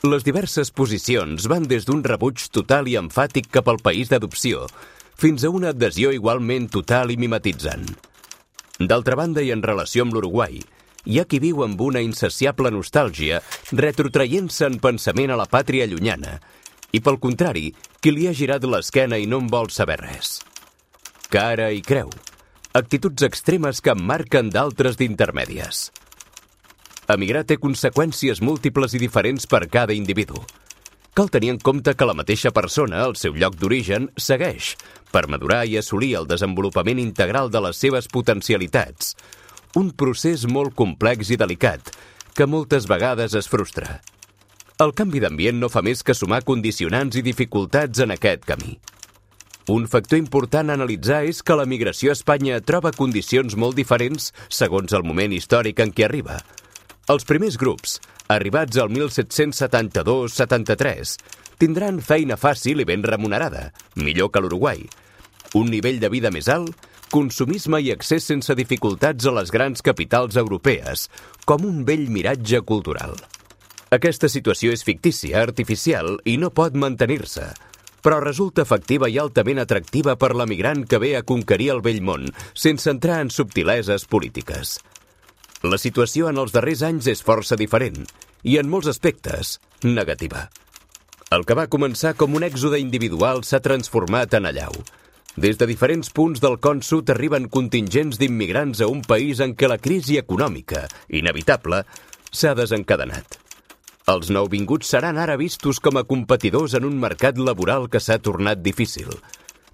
Les diverses posicions van des d'un rebuig total i emfàtic cap al país d'adopció fins a una adhesió igualment total i mimetitzant. D'altra banda, i en relació amb l'Uruguai, hi ha qui viu amb una insaciable nostàlgia, retrotraient-se en pensament a la pàtria llunyana, i pel contrari, qui li ha girat l'esquena i no en vol saber res. Cara i creu, actituds extremes que emmarquen d'altres d'intermèdies. Emigrar té conseqüències múltiples i diferents per cada individu. Cal tenir en compte que la mateixa persona, al seu lloc d'origen, segueix, per madurar i assolir el desenvolupament integral de les seves potencialitats, un procés molt complex i delicat, que moltes vegades es frustra. El canvi d'ambient no fa més que sumar condicionants i dificultats en aquest camí. Un factor important a analitzar és que la migració a Espanya troba condicions molt diferents segons el moment històric en què arriba. Els primers grups, arribats al 1772-73, tindran feina fàcil i ben remunerada, millor que l'Uruguai. Un nivell de vida més alt, consumisme i accés sense dificultats a les grans capitals europees, com un vell miratge cultural. Aquesta situació és fictícia, artificial i no pot mantenir-se. però resulta efectiva i altament atractiva per l'emigrant que ve a conquerir el vell món, sense entrar en subtileses polítiques. La situació en els darrers anys és força diferent i, en molts aspectes, negativa. El que va començar com un èxode individual s'ha transformat en allau. Des de diferents punts del Con Sud arriben contingents d'immigrants a un país en què la crisi econòmica, inevitable, s'ha desencadenat. Els nouvinguts seran ara vistos com a competidors en un mercat laboral que s'ha tornat difícil.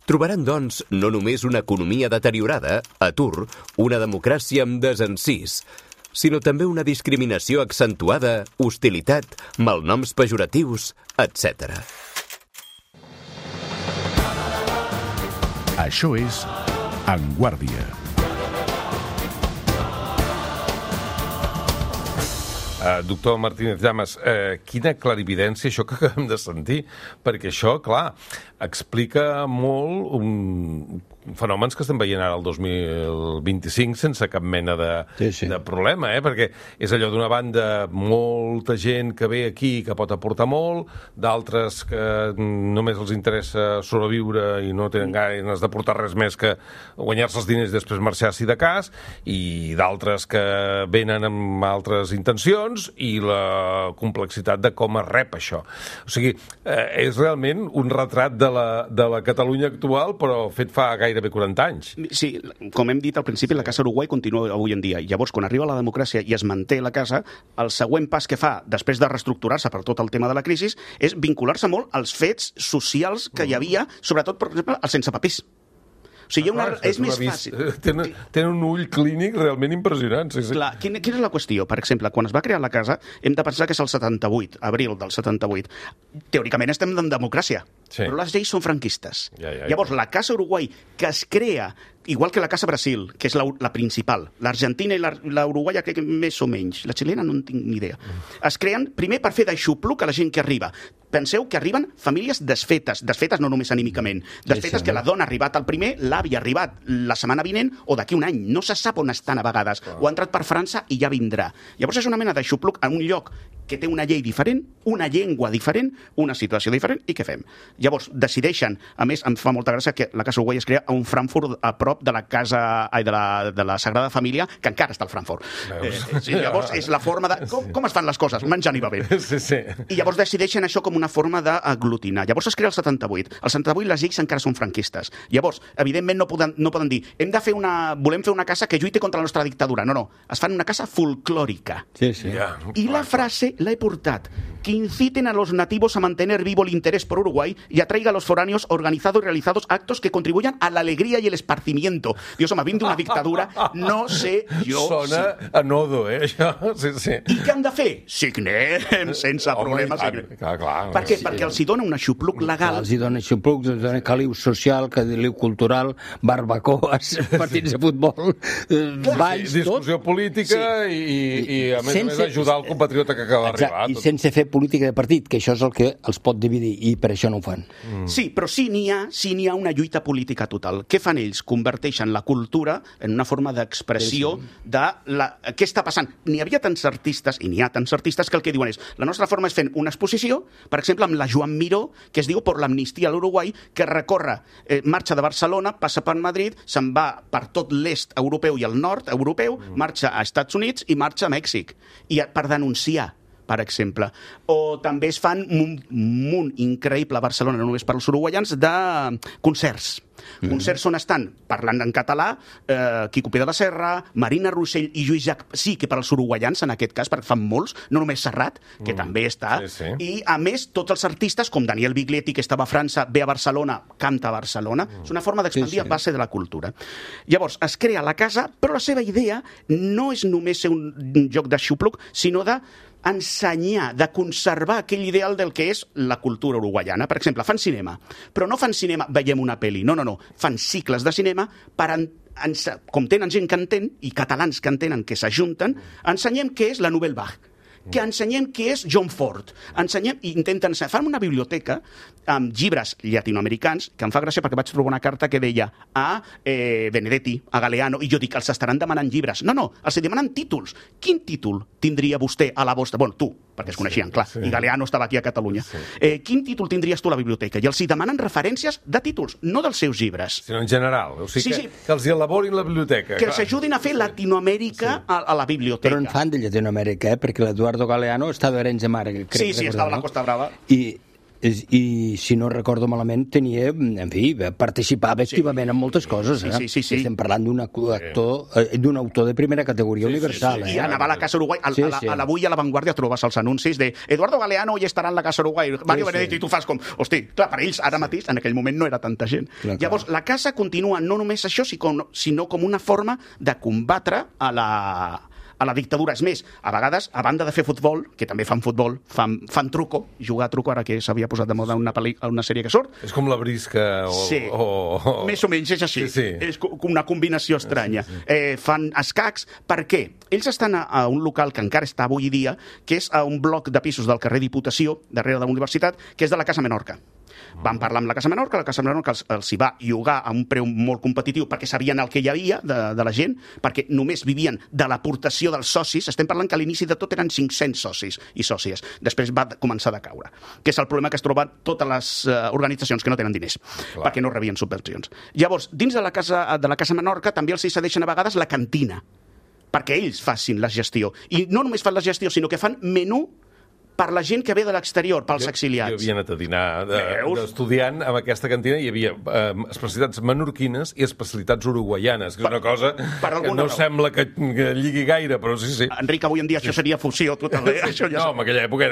Trobaran, doncs, no només una economia deteriorada, atur, una democràcia amb desencís, sinó també una discriminació accentuada, hostilitat, malnoms pejoratius, etc.
Això és En Guàrdia.
Doctor Martínez Llamas, quina clarividència això que acabem de sentir, perquè això, clar, explica molt fenòmens que estem veient ara el 2025 sense cap mena de problema, perquè és allò d'una banda molta gent que ve aquí que pot aportar molt, d'altres que només els interessa sobreviure i no tenen ganes d'aportar res més que guanyar-se els diners i després marxar si de cas, i d'altres que venen amb altres intencions i la complexitat de com es rep això. O sigui, és realment un retrat de la Catalunya actual, però fet fa gairebé 40 anys.
Sí, com hem dit al principi, la Casa Uruguai continua avui en dia. Llavors, quan arriba la democràcia i es manté la casa, el següent pas que fa, després de reestructurar-se per tot el tema de la crisi, és vincular-se molt als fets socials que hi havia, sobretot, per exemple, els sense papers. O sigui, és més fàcil.
Tenen un ull clínic realment impressionant. Sí.
Clar, quina és la qüestió? Per exemple, quan es va crear la casa, hem de pensar que és el 78, abril del 78. Teòricament estem en democràcia, però les lleis són franquistes. Llavors, la Casa Uruguai, que es crea igual que la Casa Brasil, que és la principal, l'Argentina i la uruguaia crec que més o menys, la xilena no en tinc ni idea, es creen primer per fer d'aixopluc a la gent que arriba. Penseu que arriben famílies desfetes no només anímicament, desfetes que la dona ha arribat al primer, l'avi ha arribat la setmana vinent o d'aquí un any, no se sap on estan a vegades, o ha entrat per França i ja vindrà. Llavors és una mena d'aixopluc en un lloc que té una llei diferent, una llengua diferent, una situació diferent, i què fem? Llavors decideixen, a més em fa molta gràcia que la Casa Uruguai es crea a un Frankfurt a prop de la casa de la Sagrada Família, que encara està al Frankfurt. Llavors és la forma de... Com es fan les coses? Menjant i bevent. I llavors decideixen això com una forma d'aglutinar. Llavors es crea el 78. El 78 les lleis encara són franquistes. Llavors, evidentment no poden dir volem fer una casa que lluiti contra la nostra dictadura. No. Es fan una casa folclòrica. I la frase la he portat. Que inciten a los nativos a mantener vivo el interés por Uruguay y atraiga a los foráneos organizados y realizados actos que contribuyan a la alegría y el esparcimiento. Dios, home, vinc d'una dictadura, no sé jo...
Sona a nodo, això. Sí.
I què han de fer? Signem, sense problemes.
Clar.
Per què? Perquè els hi dona un aixopluc legal.
Els hi dona aixopluc, els dona caliu social, caliu cultural, barbacoes, partits de futbol, balls, tot.
Discussió política i a més ajudar el compatriota que acaba d'arribar.
I sense fer política de partit, que això és el que els pot dividir, i per això no ho fan.
Sí, però sí n'hi ha una lluita política total. Què fan ells? Converteixen la cultura en una forma d'expressió de què està passant. N'hi havia tants artistes, i n'hi ha tants artistes, que el que diuen és la nostra forma és fent una exposició, per exemple, amb la Joan Miró, que es diu Por l'amnistia a l'Uruguai, que recorre, marxa de Barcelona, passa per Madrid, se'n va per tot l'est europeu i el nord europeu, marxa a Estats Units i marxa a Mèxic. I per denunciar, per exemple. O també es fan un munt increïble a Barcelona, no només per als uruguaians, de concerts. Concerts on estan parlant en català Quico Pere de la Serra, Marina Rossell i Lluís Llach, sí que per als uruguaians en aquest cas, perquè fan molts, no només Serrat, que també està, i a més tots els artistes, com Daniel Biglietti, que estava a França, ve a Barcelona, canta a Barcelona, és una forma d'expandir a base de la cultura. Llavors, es crea la casa, però la seva idea no és només ser un joc de xupluc, sinó de ensenyar, de conservar aquell ideal del que és la cultura uruguaiana. Per exemple, fan cinema, però no fan cinema, veiem una pel·li, no. Fan cicles de cinema per com tenen gent que entén, i catalans que entenen que s'ajunten, ensenyem què és la Nouvelle Vague, que ensenyem què és John Ford. Fan una biblioteca amb llibres llatinoamericans, que em fa gràcia perquè vaig trobar una carta que deia a Benedetti, a Galeano, i jo dic, els estaran demanant llibres. No, els demanen títols. Quin títol tindria vostè a la vostra... Bueno, tu, perquè es coneixien, clar, i Galeano estava aquí a Catalunya. Quin títol tindries tu a la biblioteca? I els hi demanen referències de títols, no dels seus llibres.
Sinó en general. O sigui que els hi elaborin la biblioteca.
Que els ajudin a fer Latinoamèrica a la biblioteca.
Però en fan de Llatinoamèrica, perquè l'Eduardo Galeano està d'Arenys de Mar.
Sí, estava a la Costa Brava.
I si no recordo malament tenia, en fi, participava activament en moltes coses.
Sí.
Estem parlant d'un autor de primera categoria universal.
I anava a la Casa Uruguai, avui a La Vanguardia trobes els anuncis de Eduardo Galeano i estarà en la Casa Uruguai, Mario Benedetti, i tu fas com, hosti, clar, per ells ara mateix, en aquell moment no era tanta gent. Llavors, la Casa continua no només això, sinó com una forma de combatre a la dictadura. És més, a vegades, a banda de fer futbol, que també fan futbol, fan truco, jugar a truco, ara que s'havia posat de moda una sèrie que surt.
És com la brisca o...
Més o menys és així. És una combinació estranya. Fan escacs. Per què? Ells estan a un local que encara està avui dia, que és a un bloc de pisos del carrer Diputació, darrere de la universitat, que és de la Casa Menorca. Van parlar amb la Casa Menorca els hi va llogar a un preu molt competitiu perquè sabien el que hi havia de la gent, perquè només vivien de l'aportació dels socis. Estem parlant que a l'inici de tot eren 500 socis i sòcies. Després va començar a caure, que és el problema que es troben totes les organitzacions que no tenen diners, perquè no rebien subvencions. Llavors, dins de la Casa Menorca també els hi cedeixen a vegades la cantina, perquè ells facin la gestió. I no només fan la gestió, sinó que fan menú per la gent que ve de l'exterior, pels exiliats.
Jo havia anat a dinar d'estudiant amb aquesta cantina, hi havia especialitats menorquines i especialitats uruguaianes, que és una cosa que no sembla que lligui gaire, però sí.
Enric, avui en dia això seria fusió total.
No, en aquella època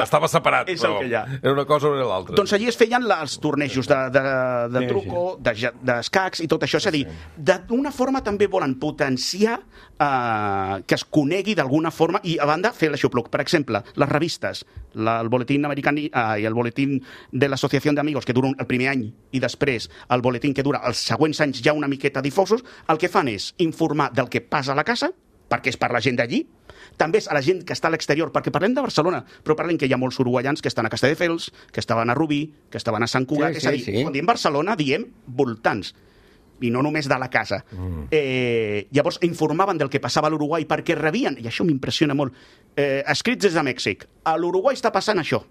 estava separat, però era una cosa o era l'altra.
Doncs allí es feien els tornejos de truco, d'escacs i tot això. És a dir, d'una forma també volen potenciar que es conegui d'alguna forma i, a banda, fer l'aixopluc. Per exemple, les revistes, el boletín americà i el boletín de l'Associació d'Amigos, que dura el primer any, i després el boletín que dura els següents anys ja una miqueta difosos, el que fan és informar del que passa a la casa, perquè és per la gent d'allí, també és a la gent que està a l'exterior, perquè parlem de Barcelona, però parlem que hi ha molts uruguaians que estan a Castelldefels, que estaven a Rubí, que estaven a Sant Cugat, és a dir, quan diem Barcelona diem voltants, i no només de la casa. Llavors informaven del que passava a l'Uruguai perquè rebien, i això m'impressiona molt, escrits des de Mèxic. A l'Uruguai està passant això.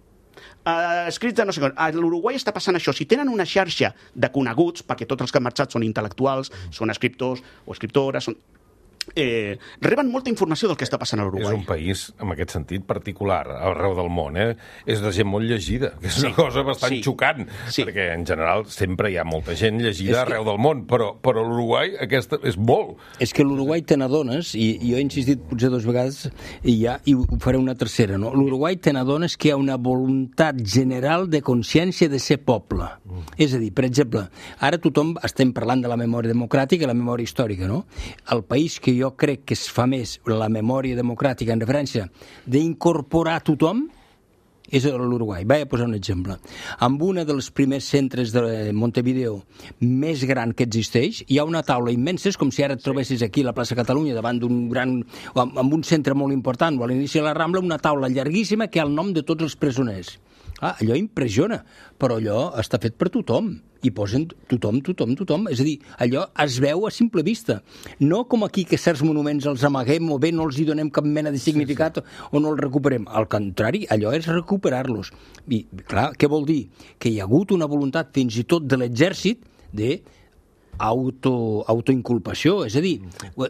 Escrits de no sé com. A l'Uruguai està passant això. Si tenen una xarxa de coneguts, perquè tots els que han marxat són intel·lectuals, són escriptors o escriptores, reben molta informació del que està passant a l'Uruguai.
És un país, en aquest sentit, particular, arreu del món. És de gent molt llegida, que és una cosa bastant xocant, perquè en general sempre hi ha molta gent llegida arreu del món, però l'Uruguai aquesta és molt.
És que l'Uruguai te n'adones, i jo he insistit potser 2 vegades, i ho faré una tercera, no? L'Uruguai te n'adones que hi ha una voluntat general de consciència de ser poble. És a dir, per exemple, ara tothom estem parlant de la memòria democràtica i la memòria històrica, no? El país que jo crec que es fa més la memòria democràtica en referència d'incorporar tothom és l'Uruguai. Vaig a posar un exemple. Amb un dels primers centres de Montevideo més gran que existeix, hi ha una taula immensa, és com si ara et trobessis aquí a la plaça Catalunya davant d'un gran... amb un centre molt important, o a l'inici de la Rambla, una taula llarguíssima que ha el nom de tots els presoners. Allò impressiona, però allò està fet per tothom. I posen tothom. És a dir, allò es veu a simple vista. No com aquí que certs monuments els amaguem o bé no els hi donem cap mena de significat o no els recuperem. Al contrari, allò és recuperar-los. I, clar, què vol dir? Que hi ha hagut una voluntat fins i tot de l'exèrcit de autoinculpació, és a dir,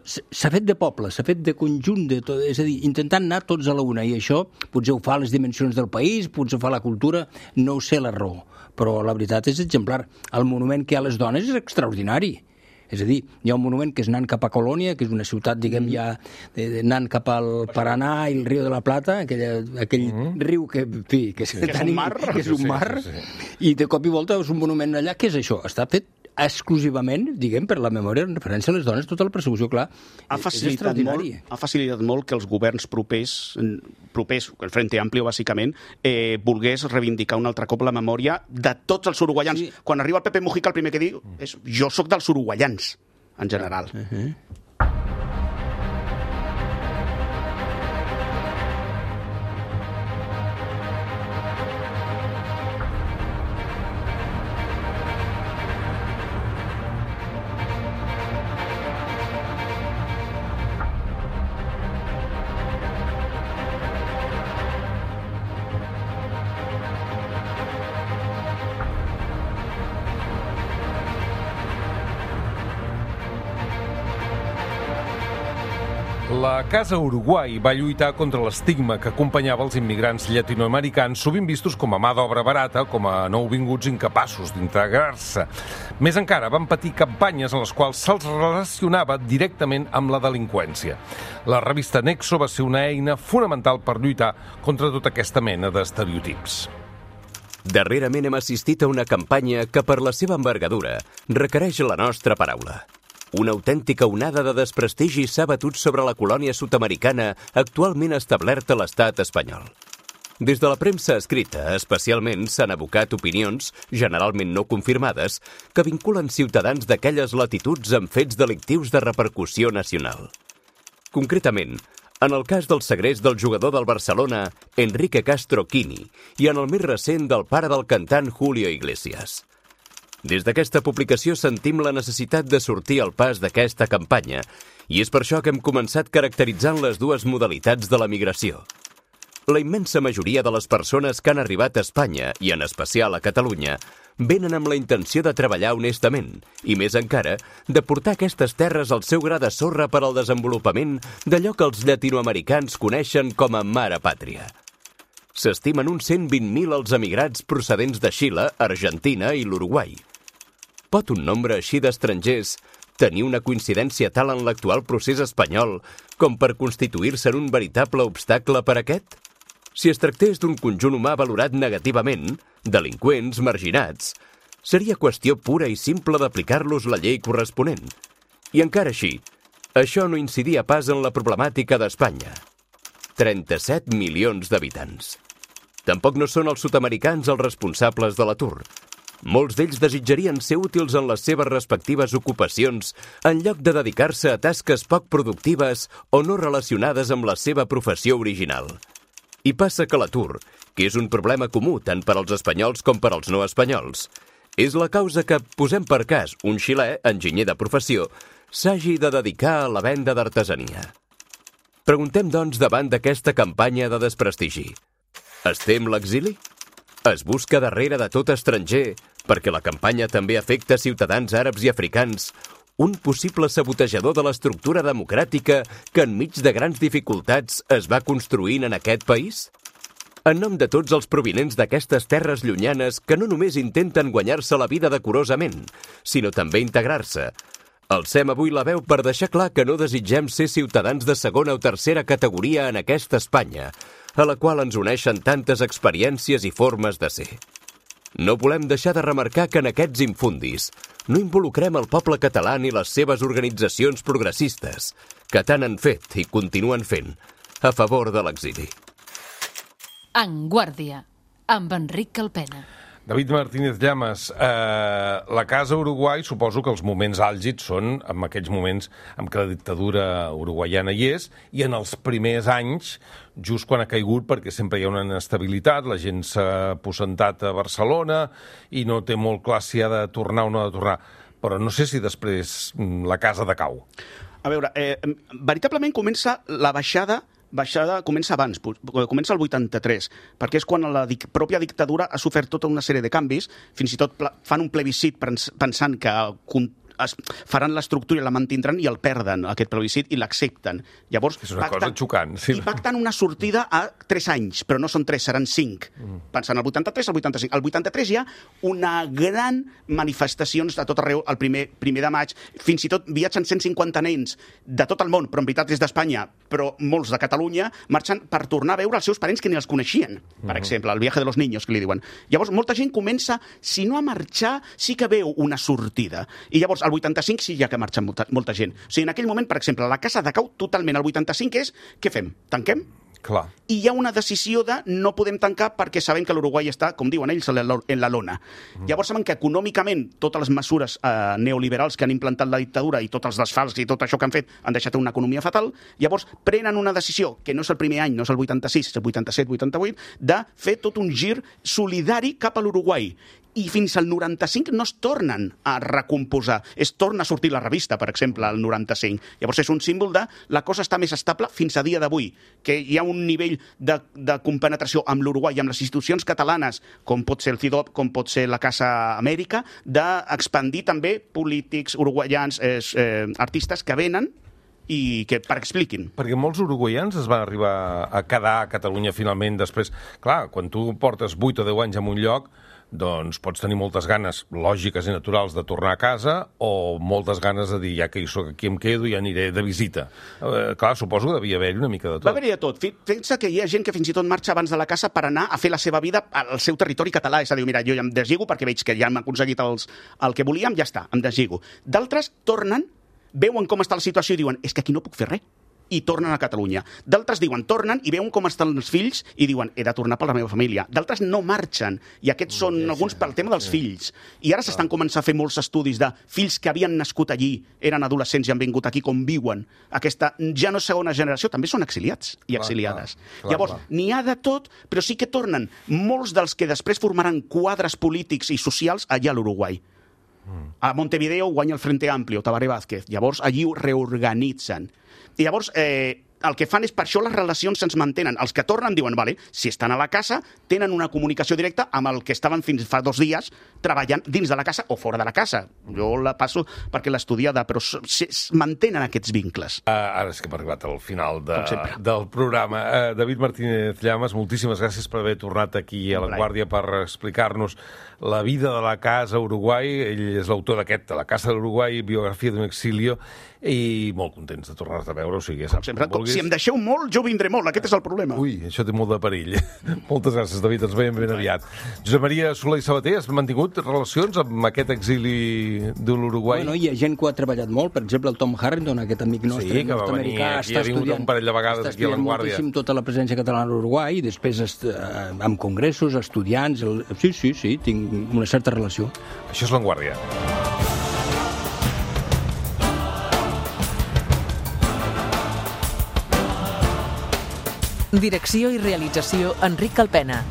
s'ha fet de poble, s'ha fet de conjunt, és a dir, intentant anar tots a la una, i això potser ho fa les dimensions del país, potser ho fa la cultura, no ho sé la raó, però la veritat és exemplar. El monument que hi ha a les dones és extraordinari. És a dir, hi ha un monument que és anant cap a Colònia, que és una ciutat, diguem, ja anant cap al Paranà i el riu de la Plata, aquell riu que és un mar, i de cop i volta és un monument allà. Què és això? Està fet exclusivament, diguem, per la memòria en referència a les dones, tota la persecució, clar, és extraordinari.
Ha facilitat molt que els governs propers, el Frente Amplio, bàsicament, volgués reivindicar un altre cop la memòria de tots els uruguaians. Quan arriba el Pepe Mujica, el primer que diu és jo sóc dels uruguaians, en general.
La Casa Uruguai va lluitar contra l'estigma que acompanyava els immigrants llatinoamericans, sovint vistos com a mà d'obra barata, com a nouvinguts incapaços d'integrar-se. Més encara, van patir campanyes en les quals se'ls relacionava directament amb la delinqüència. La revista Nexo va ser una eina fonamental per lluitar contra tota aquesta mena d'estereotips.
Darrerament hem assistit a una campanya que, per la seva envergadura, requereix la nostra paraula. Una autèntica onada de desprestigi s'ha batut sobre la colònia sud-americana actualment establerta a l'estat espanyol. Des de la premsa escrita, especialment, s'han abocat opinions, generalment no confirmades, que vinculen ciutadans d'aquelles latituds amb fets delictius de repercussió nacional. Concretament, en el cas del segrest del jugador del Barcelona, Enrique Castro Quini, i en el més recent del pare del cantant Julio Iglesias. Des d'aquesta publicació sentim la necessitat de sortir al pas d'aquesta campanya i és per això que hem començat caracteritzant les dues modalitats de la migració. La immensa majoria de les persones que han arribat a Espanya, i en especial a Catalunya, venen amb la intenció de treballar honestament i, més encara, de portar aquestes terres al seu gra de sorra per al desenvolupament d'allò que els llatinoamericans coneixen com a mare pàtria. S'estimen uns 120.000 els emigrats procedents de Xile, Argentina i l'Uruguai. Pot un nombre així d'estrangers tenir una coincidència tal en l'actual procés espanyol com per constituir-se en un veritable obstacle per a aquest? Si es tractés d'un conjunt humà valorat negativament, delinqüents, marginats, seria qüestió pura i simple d'aplicar-los la llei corresponent. I encara així, això no incidia pas en la problemàtica d'Espanya. 37 milions d'habitants. Tampoc no són els sud-americans els responsables de l'atur. Molts d'ells desitjarien ser útils en les seves respectives ocupacions en lloc de dedicar-se a tasques poc productives o no relacionades amb la seva professió original. I passa que l'atur, que és un problema comú tant per als espanyols com per als no espanyols, és la causa que, posem per cas, un xilè, enginyer de professió, s'hagi de dedicar a la venda d'artesania. Preguntem, doncs, davant d'aquesta campanya de desprestigi. Es tem l'exili? Es busca darrere de tot estranger, perquè la campanya també afecta ciutadans àrabs i africans, un possible sabotejador de l'estructura democràtica que enmig de grans dificultats es va construint en aquest país? En nom de tots els provinents d'aquestes terres llunyanes que no només intenten guanyar-se la vida decorosament, sinó també integrar-se, alcem avui la veu per deixar clar que no desitgem ser ciutadans de segona o tercera categoria en aquesta Espanya, a la qual ens uneixen tantes experiències i formes de ser. No volem deixar de remarcar que en aquests infundis no involucrem el poble català ni les seves organitzacions progressistes, que tant han fet i continuen fent a favor de l'exili.
En Guàrdia, amb Enric Calpena.
David Martínez Llamas, la Casa Uruguai, suposo que els moments àlgids són en aquells moments en què la dictadura uruguaiana hi és, i en els primers anys, just quan ha caigut, perquè sempre hi ha una inestabilitat, la gent s'ha aposentat a Barcelona i no té molt clar si ha de tornar o no ha de tornar. Però no sé si després la casa decau.
A veure, veritablement comença la baixada comença abans, comença el 83, perquè és quan la pròpia dictadura ha sofert tota una sèrie de canvis, fins i tot fan un plebiscit pensant que faran l'estructura i la mantindran i el perden, aquest plebiscit, i l'accepten. Llavors,
és una cosa xocant. Sí.
I pacten una sortida a 3 anys, però no són 3, seran 5. Pensant al 83, al 85. Al 83 hi ha una gran manifestacions de tot arreu, el primer de maig, fins i tot viatgen 150 nens de tot el món, però en veritat és d'Espanya, però molts de Catalunya, marxen per tornar a veure els seus parents que ni els coneixien, per exemple, el viaje de los niños, que li diuen. Llavors, molta gent comença, si no a marxar, sí que veu una sortida. I llavors, al 85 sí ja que marxa molta gent. O sigui, en aquell moment, per exemple, la casa decau totalment. El 85 és, què fem? Tanquem?
Clar.
I hi ha una decisió de no podem tancar perquè sabem que l'Uruguai està, com diuen ells, en la lona. Llavors saben que econòmicament totes les mesures neoliberals que han implantat la dictadura i tots els desfals i tot això que han fet han deixat una economia fatal. Llavors prenen una decisió, que no és el primer any, no és el 86, és el 87-88, de fer tot un gir solidari cap a l'Uruguai. I fins al 95 no es tornen a recomposar. Es torna a sortir la revista, per exemple, al 95. Llavors és un símbol de la cosa està més estable fins a dia d'avui, que hi ha un nivell de compenetració amb l'Uruguai i amb les institucions catalanes, com pot ser el CIDOB, com pot ser la Casa Amèrica, d'expandir també polítics uruguaians, artistes que venen i que expliquin.
Perquè molts uruguaians es van arribar a quedar a Catalunya finalment després. Clar, quan tu portes 8 o 10 anys en un lloc, doncs pots tenir moltes ganes lògiques i naturals de tornar a casa o moltes ganes de dir, ja que hi soc aquí em quedo, ja aniré de visita. Clar, suposo que devia haver-hi una mica de tot.
Va haver-hi de tot. Pensa que hi ha gent que fins i tot marxa abans de la casa per anar a fer la seva vida al seu territori català. És a dir, mira, jo ja em deslligo perquè veig que ja hem aconseguit el que volíem, ja està, em deslligo. D'altres tornen, veuen com està la situació i diuen, és que aquí no puc fer res, i tornen a Catalunya. D'altres diuen, tornen i veuen com estan els fills i diuen, he de tornar per la meva família. D'altres no marxen, i aquests són alguns pel tema dels fills. I ara s'estan començant a fer molts estudis de fills que havien nascut allí, eren adolescents i han vingut aquí, com viuen. Aquesta ja no segona generació, també són exiliats i exiliades. Llavors, n'hi ha de tot, però sí que tornen molts dels que després formaran quadres polítics i socials allà a l'Uruguai. A Montevideo guanya el Frente Amplio, Tabaré Vázquez. Llavors, allí ho reorganitzen. I llavors, el que fan és, per això les relacions se'ns mantenen. Els que tornen diuen, vale, si estan a la casa, tenen una comunicació directa amb el que estaven fins fa 2 dies treballant dins de la casa o fora de la casa. Jo la passo perquè l'he estudiada, però mantenen aquests vincles.
Ara és que hem arribat al final del programa. David Martínez Llamas, moltíssimes gràcies per haver tornat aquí a La Guàrdia per explicar-nos la vida de la casa a Uruguai. Ell és l'autor d'aquest, de La Casa de l'Uruguai, biografia d'un exilio, i molt contents de tornar-te a veure. O sigui, saps,
sempre, si em deixeu molt, jo vindré molt. Aquest és el problema.
Ui, això té molt de perill. Moltes gràcies, David. Ens veiem ben aviat. Josep Maria Soler i Sabater, has mantingut relacions amb aquest exili de l'Uruguai?
Bueno, hi ha gent que ho ha treballat molt. Per exemple, el Tom Harrington, aquest amic nostre nord-americà,
està estudiant un parell de vegades aquí a La Guàrdia.
Moltíssim tota la presència catalana a l'Uruguai, i després amb congressos, estudiants... Sí, tinc una certa relació.
Això és La Guàrdia.
Direcció i realització, Enric Calpena.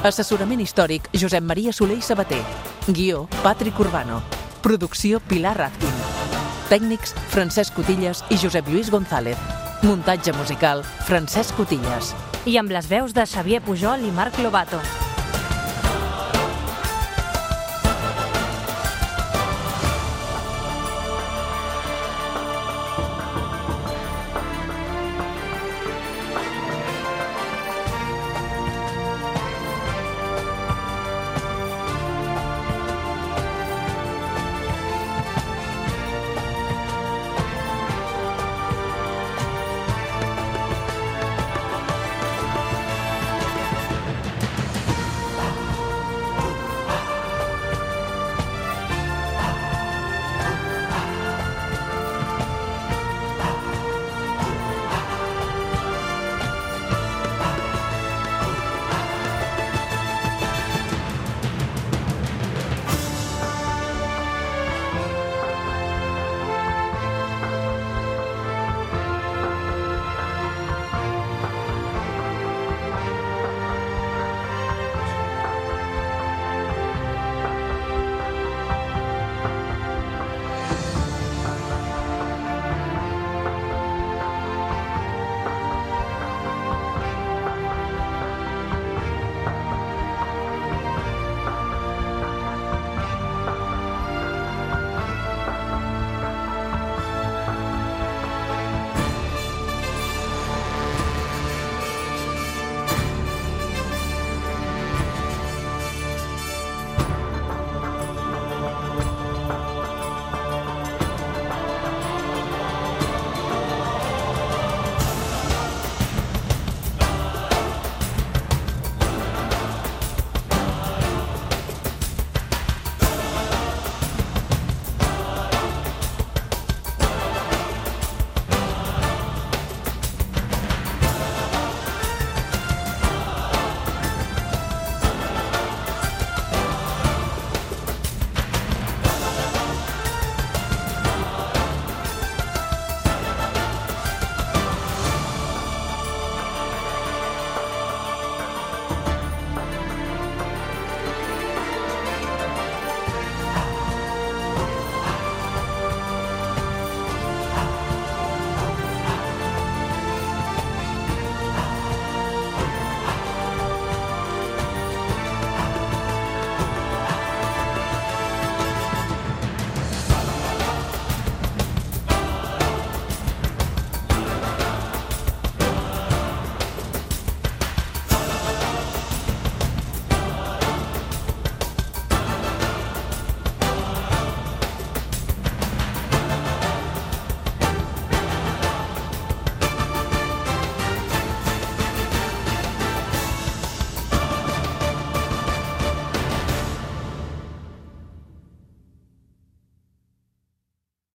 Assessorament històric, Josep Maria Soler i Sabater. Guió, Patrick Urbano. Producció, Pilar Razkin. Tècnics, Francesc Cotillas i Josep Lluís González. Muntatge musical, Francesc Cotillas.
I amb les veus de Xavier Pujol i Marc Lobato.